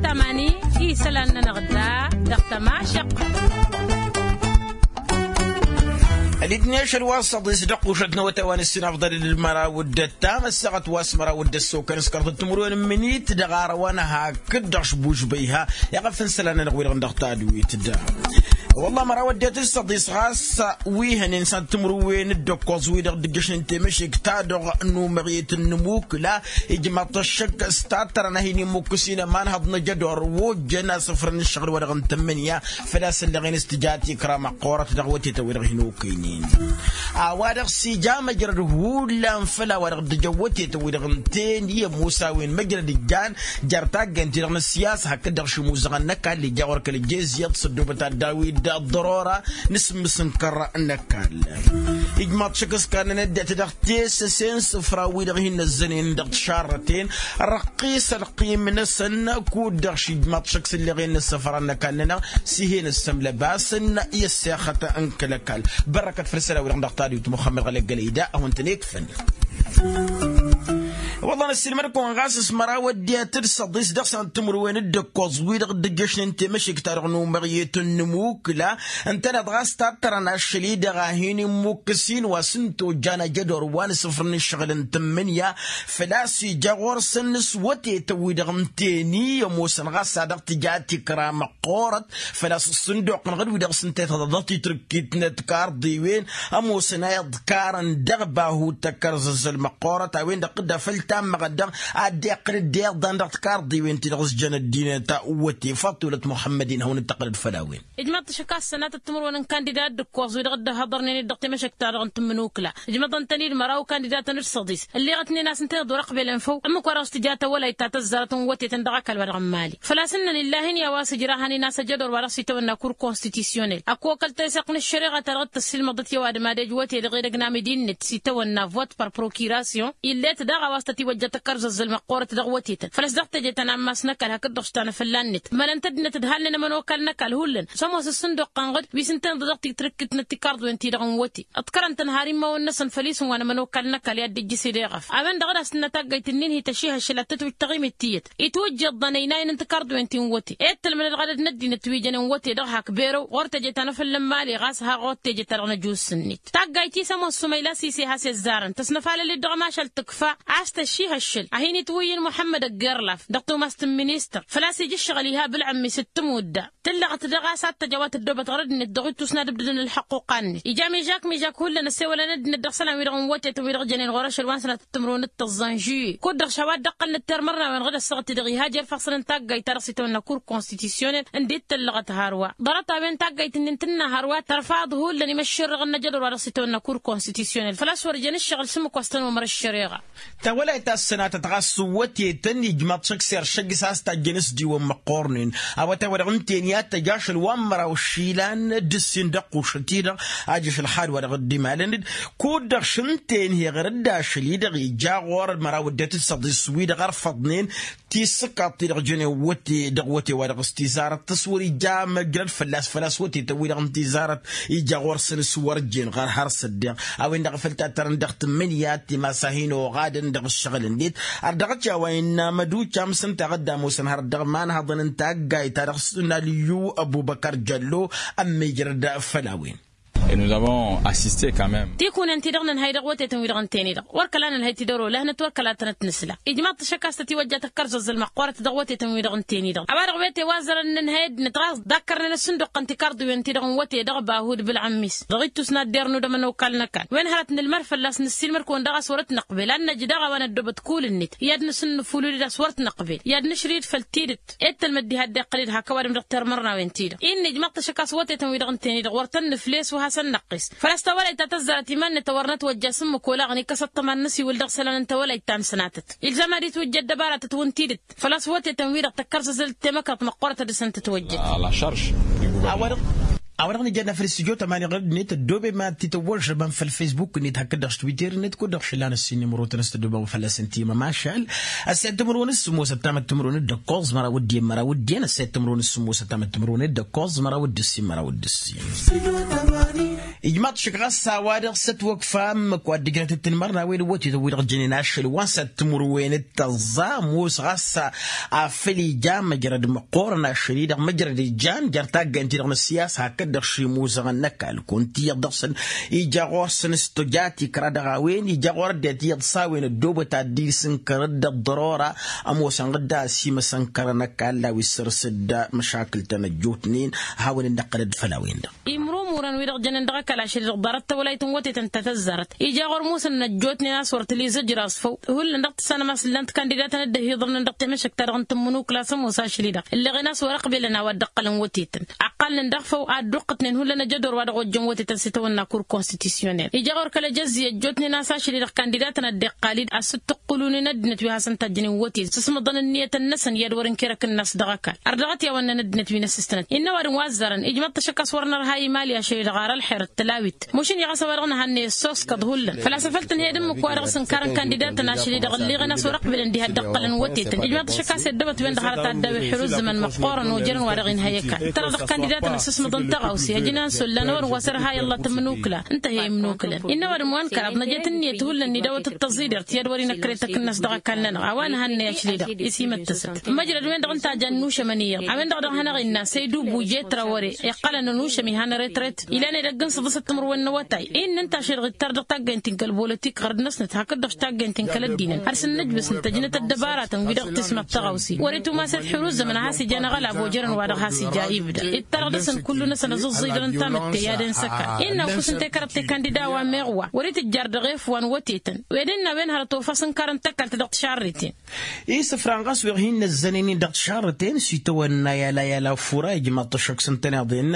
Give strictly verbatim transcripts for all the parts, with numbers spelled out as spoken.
Tamani i isălan-nănăɣ da dăɣ-tămašăqq. Ălidneš ălwasăḍ-is dăɣ-kušăt n-awătay wa n-ǝssin afḍăl d-măraw d-ăttam ăssaɣăt wa s-măraw d-ăssokăn s-kărtăt timǝrwen n-imǝnit dăɣ-arăwăn hakd-dăɣ šbužbăyha. Iɣăf n-isălan-nănăɣ wi-dăɣ n-dăɣ tadwit da. Wălla măraw ăddinăt d-săḍis ɣas wi hănen s-ad-timǝrwen d-ǝkkoẓ wi-dăɣ dd-ǝjjăšnen temăšek-ta-dăɣ n-umăɣyet n-inǝmukǝla. Ijmaḍ-t ăššăk s-tattărăn a hin-imukkǝs-in ămanhăḍ n-ajădor wa ojjăn asǝfrăn n-ǝššăɣǝl-wa-dăɣ n-tǝmmǝnǝya. Făl-a-s ǝlleɣen s-tǝja tikra măqqoorăt dăɣ-wătetăn-wi-dăɣ hin-okăynen. A-wa-dăɣ s-ija măjrăd hullan făll-a-wa-dăɣ dd-ǝjăn wătetăn-wi-dăɣ ǝnta-en i-ămoos a-wen măjrăd ǝjjan jer-taggayăn-ti-dăɣ n-ăssiyasa hakd-dăɣ šimuzăɣăn n-ăkall ija ɣur-kăl-ăjjez iyyăḍ s-ăddoobăt ad-dd-awǝy d-ăḍḍărora n-asǝmmǝs n-kăra n-ăkall. Ijmaḍ šăk s-kannăn ăddinăt dăɣ-tesăse n-isǝfra-wi-dăɣ hin-năzzănen dăɣ-tišarrăten răqqis ălqim-năsăn. Kud-dăɣ šijmaḍ šăk s-ǝlleɣen n-isǝfra n-ăkall-nănăɣ s-ih'-en ǝssămlăbasăn i-ăssexăt n-kăl-ăkall. Bărrăkăt făll-isălan-wi-dăɣ dăɣ-tadwit muxămmăd ɣăleggălăy da a-wen-tăn-ikfăn. Wălla năssiilmăd-kăwăn ɣas s-măraw ăddinăt d-săḍis dăɣ-san timǝrwen d-ǝkkoẓ wi-dăɣ dd-ǝjjăšnen temăšek-ta-dăɣ n-umăɣyet n-inǝmukǝla. Ǝntăneḍ ɣas tattărăn ašăl-i-dăɣ a hin-immuk s-in wa s-ǝnta ojjan ajădor wa n-asǝfrăn n-ǝššăɣǝl n-tǝmmǝnǝya. Făl-a-s ija ɣur-săn s-wătetăn-wi-dăɣ ǝnta-en i-ămoosăn ɣas a dăɣ-tǝja tikra măqqoorăt. Făl-a-s ǝssǝnduqăn ɣǝd-wi-dăɣ s-ǝnta ităḍăḍăt titrǝkkit n-ădkarḍiwen ămoosăn a iḍkarăn dăɣ-bahut tăkkărzăzzăl măqqoorăt a-wen-dăɣ tǝdda făll-tammăɣăt dăɣ-ad-dd-iqqǝl dd-iḍan dăɣ-tikarḍiwen-ti-dăɣ s-jăn ăddinăt. Wăte faḍt tulăt muḥămmăd-in hawăn-dd-tăqqǝlăd făll-a-wen. Ijmaḍ-t ašăk a-s sănatăt timǝrwen n-kandidat d-ǝkkoẓ-wi-dăɣ dd-ăhhăḍărnen-dd dăɣ-temăšăkt-ta-dăɣ n-tǝmmǝnukǝla. Ijmaḍ-ǝntăn-dd măraw kandidatăn d-săḍis ǝlleɣ-ătnen a-s ǝnta-en ăḍorăqbelăn făw ǝmmǝk wa dăɣ-s tǝja tawălayt ta tăzzarăt n-wătetăn dăɣ-ăkall-wa-dăɣ n-mali. Făl-a-s ǝnnăn illahin i-a-wa s-ǝjrahăn-in a-s ăjădor wa dăɣ-s itawănna kur konstitisiyonel ăkk okăl teseɣt n-ăššăreɣa ta dăɣ-tăssiilmăḍăt i-ăwadǝm ad-ej wăte dăɣ-edăgg n-amădinnet s-itawănna vot par prokirasyon. Ill'-et daɣ a-wa s-tătiwăjja tăkkărzăzzăl măqqoorăt dăɣ-wătetăn făl-ăsdăɣ teje-tăn ammas n-ăkall hakd-dăɣ s-tanăfălla-net. Mălăn-t ăddinăt ǝdhalnen ămănokal n-ăkall hullan s-ămoos ǝssǝnduqqăn ɣǝd wi s-ǝnta-en dăɣ-titrǝkkit n-ăttikarḍwen-ti-dăɣ n-wăte. Ǝḍkărăn-tăn har immawăn-năsăn făll-isǝm wa n-ămănokal n-ăkall i-ad-dd-ijjǝs ed eɣăf a-wen-dăɣ d-asǝnna taggayt-nin hi-tăšihăššăl ad-tătwǝj taɣimit tiyyăt itwǝjjăḍ ănăynayăn n-tikarḍwen ti n-wăte. Ed tălmănăd ɣadăd n-ăddinăt wi jănen wăte-dăɣ hak berăw ɣur-teje ta n-afăllăn mali ɣas har ɣur-teje ta dăɣ-năjus-net. Taggayt-i s-ămoos sumayla sise has-ezzarăn tăsnăfalăl-dd dăɣ-ămašal tǝkfa a-s tăšihăššăl a hin-itwǝyyǝn muḥămmăd ăggerlaf dăɣ-tumas n-ministăr. Făl-a-s ija ǝššăɣǝl iha bǝlɣǝmmis d-tǝmudda tǝllăɣăt daɣ a-s ad-tăj a-wa tăddoobăt ɣur-ăddinăt dăɣ-ittus n-ad-ǝbdǝdăn ǝlxăqquqa-net ija mižak mižak hullan ăssewălăn ăddinăt dăɣ-isălan-wi-dăɣ n-wătetăn-wi-dăɣ jănen ɣur-ašăl wa n-sănatăt timǝrwen d-tăẓẓan žuye kud-dăɣ šawa dd-ăqqălnăt termărnawen ɣǝd ăssaɣăt-i-dăɣ iha jer-ifassăn n-taggayt ta dăɣ-s itawănna kur konstitisyonel. Ǝndi d-tǝllăɣăt hărwa ḍarăt-a-wen taggayt-nin tǝnna hărwa tărfaḍ hullan imăššerrăɣăn n-ajădor wa dăɣ-s itawănna kur konstitisyonel făl-a-s wăr jăn ǝššăɣǝl s-ǝmmǝk wa s-tăn-omăr ăššăreɣa. Tawălayt ta s-sănatăt ɣas s-wătetăn ijmaḍ-t šăkk s-eršăgg s-a-s tajjăn s-diwăn măqqornen. Awătay-wa-dăɣ ǝnta-en i-ad-tăj ašăl wa n-măraw išilan d-ǝssin dăɣ-kušăt-i-dăɣ. Ajăš ălxad-wa-dăɣ dd-imalăn-dd kud-dăɣ šǝnta-en heɣăr-dd ašăl-i-dăɣ ija ɣur-măraw ăddinăt d-săḍis wi-dăɣ ărfăḍnen. Tisǝkkaḍt-ti-dăɣ jănen wăte dăɣ-wăte-wa-dăɣ s-tizarăt tăswăr ija măjrăd fălla-s făl-a-s wătetăn-wi-dăɣ n-tizarăt ija ɣur-săn s-wăr jen ɣar har s-ăddeɣ. A-wen-dăɣ a făl tattărăn dăɣ-tǝmmǝnǝya timas a hin-oɣadăn dăɣ-ǝššăɣǝl-net. Ar dăɣ-t i-a-wa innă mădučam s-ǝnta a ɣǝdda ămoosăn hărăt dăɣ-imanhăḍăn n-taggayt ta dăɣ-s n-alǝyyu ăbubăkar jăllo. Ămmiijrăd făll-a-wen. Et nous avons assisté quand même. Tikunen-ti-dăɣ nǝnhăy dăɣ-wătetăn-wi-dăɣ ǝnta-en-i-dăɣ wăr kăla nǝnhăy tidăro lahnăt wăr kăla tănăt-nǝsla. Ijmaḍ-t ašăk a-s tătiwăjja tăkkărzăzzăl măqqoorăt dăɣ-wătetăn-wi-dăɣ ǝnta-en-i-dăɣ a-wa-dăɣ wete wa zărăn nǝnhăy ăddinăt ɣas dakkărnen ăssǝnduqqăn tikarḍiwen-ti-dăɣ n-wăte dăɣ-bahud bǝlɣǝmmis. Dăɣ-ittus n-ad-dernu d-ămănokal n-ăkall wen hărăt nǝlmăr fălla-s nǝssilmăd-kăwăn daɣ a-s wăr t-năqbel ad-năj daɣ a-wa năddoobăt kul-net i-ad-nǝsǝnnǝfulǝl-dd a-s wăr t-năqbel i-ad-nǝšrǝy-dd făll-tidǝt. Ed tălmăd diha dd-iqqǝl-dd hak ăwadǝm dăɣ-termărnawen-ti-dăɣ. Innă ijmăḍ-t ašăk a-s wătetăn-wi-dăɣ ǝnta-en-i-dăɣ wăr tăn-nǝfles wa hasăn-năqqes. Făl-a-s tawălayt ta tăzzarăt iman-net a wăr nătwăjja s-ǝmmǝk olaɣăn ikăs ăṭṭăma n-inǝsiwǝl dăɣ-isălan n-tawălayt ta n-sănatăt. Ilzam ad-itwǝjja ăddăbaratăt wǝnta-i-dăt. Făl-a-s wătetăn-wi-dăɣ tăkkărzăzăl d-temăkrăḍt măqqoorăt a dăɣ-săn tǝtwăjjăd. A-wa-dăɣ nǝjănna făll-istudyo tămani ɣǝrǝd-net ăddoobem ad-t-tăwwăžžăbăm făll-facebook-net hakd-dăɣ s-twitter-net kud-dăɣ šăllan ăssiinǝmărotăn s-tăddoobem fălla-săn timămašal. Ăssayăt timǝrwen s-sǝmmosăt tamăt timǝrwen d-ǝkkoẓ măraw d-en măraw d-en ăssayăt timǝrwen s-sǝmmosăt tamăt timǝrwen d-ǝkkoẓ măraw d-ǝssin măraw d-ǝssin. Ijmaḍ-t šik ɣas a-wa-dăɣ s-ătwăkfa ǝmmǝk wa dd-ǝjrăt d-tinmărnawen n-wătetăn-wi-dăɣ jănen ašăl wa n-săt timǝrwen d-tăẓẓa ămoos ɣas afăl ija măjrăd măqqoorăn ašăl-i-dăɣ măjrăd ijan jer-taggaynt-ti-dăɣ n-ăssiyasa hakd-dăɣ šimuzăɣăn n-ăkall kunta iyyăḍ dăɣ-săn ija ɣur-săn s-tǝja tikra dăɣ-a-wen ija ɣur-ăddinăt iyyăḍ s-a-wen ăddoobăt ad-dd-isǝnkărăd d-ăḍḍărora ămoosăn ɣǝdda ăsimăsănkărăn ăkall a-wa issărǝs-dd măšakǝl-tăn ăjjootnen. Hawăn-dd-năqqălăd făll-a-wen-dăɣ. Imrumurăn wi-dăɣ jănen dăɣ-ăkall ašăl-i-dăɣ ḍarăt tawălayt n-wătetăn ta tăzzarăt ija ɣur-musǝn n-ăjjootnen a-s wăr tǝla izǝjraẓ făw. Hullan dăɣ-tǝssanăm a-s ǝllan-t kandidatăn dd-ăhiḍărnen dăɣ-temăšăkt-ta-dăɣ n-tǝmmǝnukla s-ămoos ašăl-i-dăɣ ǝlleɣen a-s wăr-ăqbelăn a-wa dd-ăqqălăn wătetăn. Ăqqalnen daɣ făw a dd-uqqǝtnen hullan ejădor wa dăɣ-ojjăn wătetăn s-itawănna kur konstitisiyonel ija ɣur-kăl-ejăzzi ăjjootnen a-s ašăl-i-dăɣ kandidatăn a dd-iqqal-dd a-s t-ǝqqǝlunen ăddinăt wi hasăn-tajjănen wătet s-ǝsmăḍăn ǝnniyătăn-năsăn i-ad-wăr-ǝnker akǝnnas dăɣ-ăkall. Ărdăɣăt i-a-wăn-năn ăddinăt wi n-ăssistănăt innă ăwadǝm wa ăzzarăn ijmaḍ-t ašăk a-s wăr nărha imali ašăl-i-dăɣ ar ălxer d-tălawit. Mušǝnni ɣas a-wa-dăɣ nǝhannăy ăssoskăḍ hullan făl-a-s afăl tǝnhăyăd ǝmmǝk-wa-dăɣ s-ǝnkarăn kandidatăn ašăl-i-dăɣ ǝlleɣen a-s wăr-ăqbǝlăn diha dd-ăqqălăn wătetăn ijmaḍ-t ašăk a-s i-ăddăbăt-wen-dăɣ hărăt ad-dd-awǝy ḥirǝzzǝmăn măqqoorăn ojărăn wa dăɣ-inhăy ăkall ǝttărăɣ dăɣ-kandidatăn ăssǝsmăḍăn tăɣawse ăjǝnan s-ollan a-wărăn wa s-irha i-ălla tǝmmǝnukǝla. Ǝnta a hi-imnukǝlăn innă ăwadǝm wa n-kăraḍ năjet ǝnniyăt hullan n-idawăt d-tăẓidert i-ad-wăr-inăkrăy takǝnnast dăɣ-ăkall-nănăɣ a-wa nǝhannăy ašli-dăɣ. Is-imǝttǝsăt măjrăd-wen-dăɣ ǝnta a jan nušămăn iyyăḍ a-wen-dăɣ a dăɣ-hanăɣ-innă săydubu jetra wăr-e iqqălăn n-ušăm ihăn retret. Ilan edăgg n-săḍǝsăt timǝrwen n-awătay. Innă ǝnta ašăl-i-dăɣ ittar dăɣ-taggaynt-in kăl-bolotik ɣărd-năsnăt hakd-dăɣ taggaynt-in kăl-ăddinăn har s-nǝnnǝjbǝs nǝtăjnăt ăddăbaratăn-wi-dăɣ tismăḍ tăɣawse wăr-itumasăt ḥiruzămăn a has-ijan aɣălab ojărăn wa-dăɣ has-ija ibda ittarăɣ dăɣ-săn kullu-năsăn ăẓǝẓẓijdăn n-tamǝtte i-ad-ensăkar. Innă ăkkus ǝnta i-kărăḍ tikandida wa meɣ wa wăr-itǝjjar dăɣ-efwan wătetăn. Ed innă a-wen hărăt ofa s-ǝnkarăn tăkalt dăɣ-tišarriten. Isǝfran ɣas wi-dăɣ hin-năzzănen-in dăɣ-tišarriten s-itawănna i-ala i-ala fura ijmaḍ-t ašăk s-ǝntăneḍ-in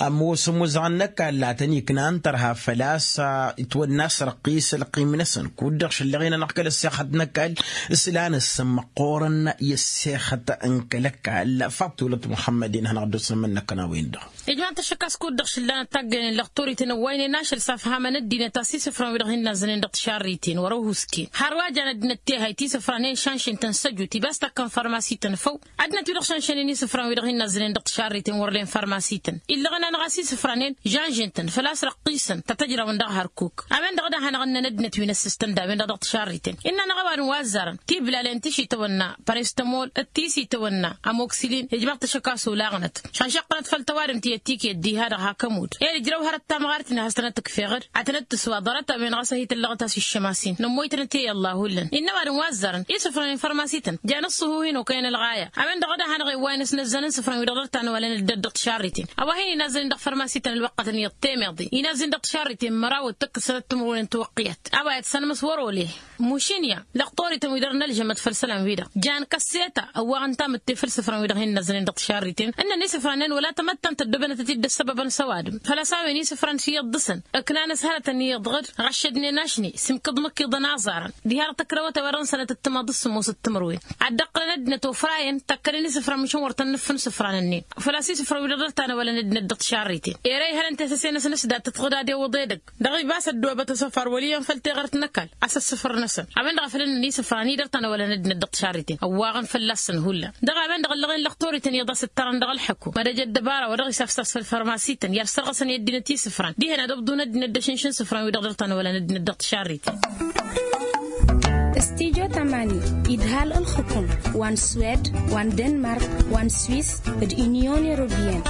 ămoos ămuzăɣăn n-ăkall a tăn-iknan tărha făl-a-s itwănna a-s răqqis ălqim-năsăn kud-dăɣ šăllăɣen-anăɣ kăl-ăssexăt n-ăkall. S-lanăssăn măqqoorăn i-ăssexăt n-kăl-ăkall faḍt tulăt muḥămmăd-in hanăɣ-dd-osnămăn-năkkăn a-wen-dăɣ. Ijmaḍ-t ašăk a-s kud-dăɣ šǝllanăt taggăynen lăxtorităn ăwwaynen ašăl s-afhamăn ăddinăt a-s isǝfran wi-dăɣ hin-nazzănen dăɣ-tišarriten wăr-ăhuusken har wa jan ăddinăt tehayt isǝfranen šanšen-tăn s-ăjut ibas takkăn farmasităn făw. Ăddinăt wi-dăɣ šanšănen isǝfran wi-dăɣ hin-nazzănen dăɣ-tišarriten wăr len farmasităn illăɣăn-anăɣ a-s isǝfranen jan žen-tăn făl-a-s răqqisăn ta tăjrawăn dăɣ-hărkuk. A-wen-dăɣ d-ad-hanăɣ-ǝnnăn ăddinăt wi n-ăssistăn d-a-wen-dăɣ dăɣ-tišarriten. Innă-anăɣ ăwadǝm wa ăzzarăn tiblalen ti s-itawănna parestămol d-ti s-itawănna amoksǝlin ijmaḍ-t ašăk a-s olaɣnăt. Šanšăqqănăt făll-tăwadǝmt i-ăttiket diha-dăɣ hak ămudd. Ed ǝjrăw hărăt tamɣart-in a has-tănăt-ǝkfeɣ-dd ad-tănăt-tǝswa ḍarăt-a-wen ɣas a hi-tǝllăɣăt a-s iššămas-in nămmoytănăt i-ălla hullan. Innă ăwadǝm wa ăzzarăn isǝfran n-farmasităn jan ǝṣṣuhu hin-okăyăn ălɣaya. A-wen-dăɣ d-ad-hanăɣ-e ǝwwayăn ăsnăzzăn n-isǝfran wi-dăɣ dăr-tanwălăn dd-ăddăɣ tišarriten a-wa hin-inazzăn dăɣ-farmasităn ălwăqqătăn iyyăḍ temeḍe inazzăn dăɣ-tišarriten măraw d-tăkk d-sănăt timǝrwen n-tiwăqqiyăt. A-wa iyyăḍ sănmăs wăr-ole. Mušǝnǝya lăqtorităn wi dăr-nălžămăt făll-isălan-wi-dăɣ jan kăsseta ăwwaɣăn tamǝtte făll-isǝfran wi-dăɣ hin-năzzănen dăɣ-tišarriten ǝnnăn isǝfranen wăla tamăttant ăddoobănătăt-dd ăssăbăbăn s-ăwadǝm. Făl-a-s a-wen isǝfran s-iyyăḍ dăɣ-săn ǝknan-as hărătăn iyyăḍ ɣǝd ɣăššădnen ašni s-imkǝḍ măkkiḍăn aẓarăn diha-dăɣ tăkrăwăt a-wa dăɣ-nǝsănăt d-timaḍ d-sǝmmos d-timǝrwen. Ad-dd-ăqqǝlăn ăddinăt ofrayen tăkkănen isǝfran măšan wăr tăn-nǝffǝn isǝfran-nin. Făl-a-s isǝfran wi-dăɣ dăr-tanăwălăn ăddinăt dăɣ-tišarriten ere ihălăn tesăse-năsăn s-dat tǝtɣǝd ad-iwǝḍ edăgg. Dăɣ-ibas ăddoobăt asăfar wăl' iyyăn făll-teɣărt n-ăkall a-s ăssǝfărnăsăn a-wen-dăɣ a făl ǝnnăn isǝfran-i dăr-tanăwălăn ăddinăt dăɣ-tišarriten ăwwaɣăn fălla-săn hullan. Dăɣ-a-wen-dăɣ ǝllăɣen lăqtorităn iyyăḍ a-s ǝttărăn dăɣ-ălḥăkum mădăj ăddăbara wa dăɣ-isafsas făll-farmasităn i-ad-sărɣăsăn i-ăddinăt isǝfran dihen ad-ăbḍun ăddinăt d-ašǝnš n-isǝfran-wi-dăɣ dăr-tanăwălăn ăddinăt dăɣ-tišarriten. Studyo tamani idhal ǝlxǝkum wa n-swed wa n-denmark wa n-swis d-inyon europeyăn.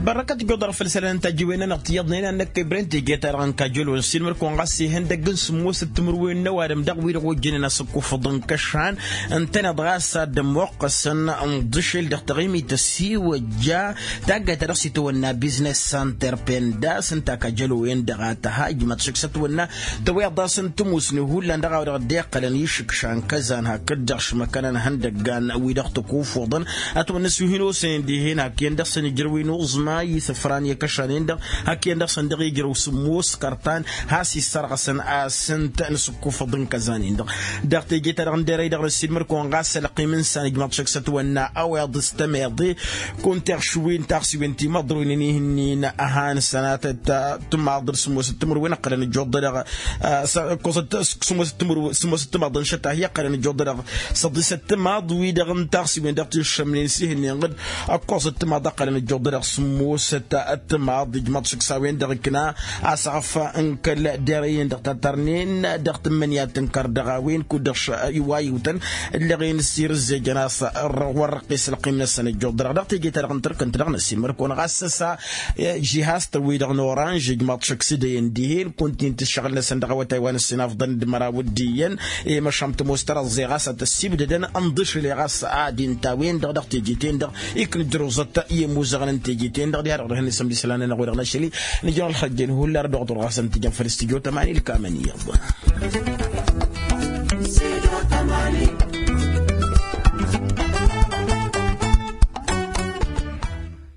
Bărrăkăt ijjuḍăr făll-isălan n-tajǝwen-nănăɣ tiyyăḍnen ad-năkkăy bren teje-ta-dăɣ n-kajălon s-ilmăr-kăwăn ɣas ihăndăgg n-sǝmmos d-timǝrwen n-ăwadǝm dăɣ-wi-dăɣ ojjănen asǝkkufăḍ n-kăšan. Ǝntăneḍ ɣas ad-dd-ămmoqqăsăn n-iḍǝšel dăɣ-taɣimit ăssiwăjja taggayt ta dăɣ-s itwănna biznes santer pendas ǝnta kajălo-en-dăɣ a tăha ijmaḍ-t ašăk s-ătwănna tăweḍ-asăn tămusne hullan dăɣ-a-wa dăɣ-dd-iqqălăn išǝkša n-kăzan hakd-dăɣ šmăkăn ănhăndăggan wi-dăɣ tăkufuḍăn. Ătwănna s-wi hin-osăyăn dihen hak iyyăn dăɣ-săn ijrăw inuẓma isǝfran i-kăšan-en-dăɣ hak iyyăn dăɣ-săn dăɣ-ijrăw sǝmmos kărtan has-issărɣăsăn asǝnt n-asǝkkufăḍ n-kăzan-in-dăɣ. Dăɣ-teje-ta-dăɣ n-derăy-dăɣ n-ăssiilmăr-kăwăn ɣas ălqim n-isan ijmaḍ-t ašăk s-ătwănna ăweḍ s-tămeḍe. Kunta iɣšǝw-in taɣsiwen ti măḍruynen ihǝnnin ăhan sănatăt tǝmaḍ d-sǝmmos d-timǝrwen ǝqqălăn ǝjjuḍ-dăɣ ăkkoẓăt sǝmmos d-timǝrwen sǝmmos d-timaḍ n-išăt a hi-ǝqqălăn ǝjjuḍ-dăɣ săḍisăt timaḍ-wi-dăɣ n-taɣsiwen dăɣ-ti ǝššămnen s-ihǝnnin ɣǝd ăkkoẓăt timaḍ ǝqqălăn ǝjjuḍ-dăɣ. Musăt ăttămaḍ ijmaḍ šǝksa-wen-dăɣ ǝkna asăɣăf n-kăl-derăyăn dăɣ-tatarnen dăɣ-tǝmmǝnǝya tǝnkăr dăɣ-a-wen kud-dăɣ iwayǝwtăn ǝllăɣen s-irǝzzejăn a-s wăr răqqes ălqim-năsăn ăjjuḍ-dăɣ dăɣ-teje-ta-dăɣ n-tărkăn-t-dăɣ năsimmăr-kăwăn ɣas s-ăsa žihaz-tăn-wi-dăɣ n-oranž ijmaḍ šǝksidăyăn dihen kunta-in tǝššăɣǝl-năsăn dăɣ-awătay wa n-ǝssin afḍăn d-măraw d-iyyăn i-măšan tămoos tărăẓẓe ɣas a tăssibdădăn ǝnḍǝšǝle ɣas ad-dd-inta-wen-dăɣ dăɣ-teje-ten-dăɣ iknǝjrǝwẓăt i-imuzăɣăn n-teje-ten-dăɣ diha-dăɣ dăɣ-hin-isǝm d-isălan-nănăɣ wi-dăɣ n-ašăl-i. Nǝjrăw ălxăjjăn hullar dăɣ-ḍurɣasăn tijăn făll-s tijo tămani ǝlkamăn iyyăḍ.